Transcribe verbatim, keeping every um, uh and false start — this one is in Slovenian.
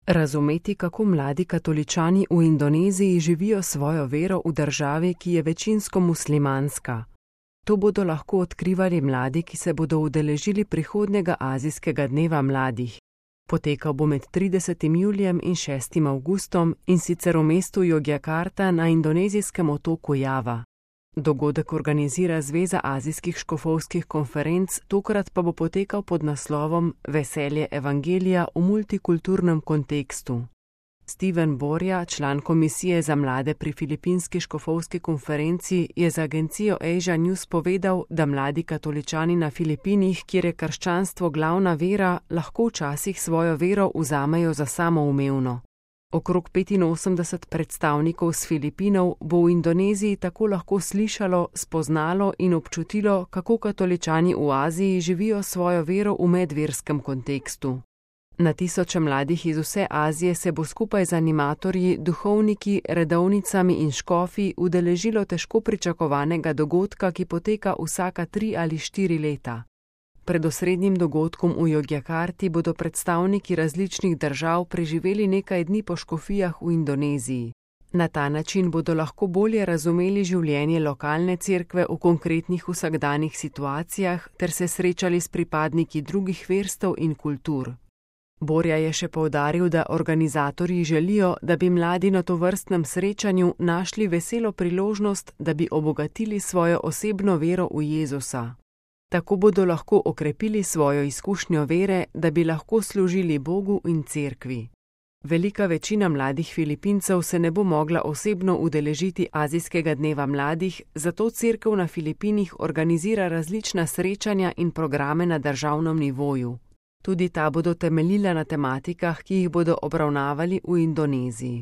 Razumeti, kako mladi katoličani v Indoneziji živijo svojo vero v državi, ki je večinsko muslimanska. To bodo lahko odkrivali mladi, ki se bodo udeležili prihodnjega azijskega dneva mladih. Potekal bo med tridesetim julijem in šestim avgustom in sicer v mestu Jogjakarta na indonezijskem otoku Java. Dogodek organizira Zveza azijskih škofovskih konferenc, tokrat pa bo potekal pod naslovom Veselje evangelija v multikulturnem kontekstu. Steven Borja, član komisije za mlade pri Filipinski škofovski konferenci, je za agencijo Asia News povedal, da mladi katoličani na Filipinih, kjer je krščanstvo glavna vera, lahko včasih svojo vero vzamejo za samoumevno. Okrog petinosemdeset predstavnikov s Filipinov bo v Indoneziji tako lahko slišalo, spoznalo in občutilo, kako katoličani v Aziji živijo svojo vero v medverskem kontekstu. Na tisoče mladih iz vse Azije se bo skupaj z animatorji, duhovniki, redovnicami in škofi udeležilo težko pričakovanega dogodka, ki poteka vsaka tri ali štiri leta. Pred osrednjim dogodkom v Jogjakarti bodo predstavniki različnih držav preživeli nekaj dni po škofijah v Indoneziji. Na ta način bodo lahko bolje razumeli življenje lokalne cerkve v konkretnih vsakdanjih situacijah ter se srečali s pripadniki drugih verstev in kultur. Borja je še poudaril, da organizatorji želijo, da bi mladi na tovrstnem srečanju našli veselo priložnost, da bi obogatili svojo osebno vero v Jezusa. Tako bodo lahko okrepili svojo izkušnjo vere, da bi lahko služili Bogu in cerkvi. Velika večina mladih Filipincev se ne bo mogla osebno udeležiti Azijskega dneva mladih, zato cerkev na Filipinih organizira različna srečanja in programe na državnem nivoju. Tudi ta bodo temeljila na tematikah, ki jih bodo obravnavali v Indoneziji.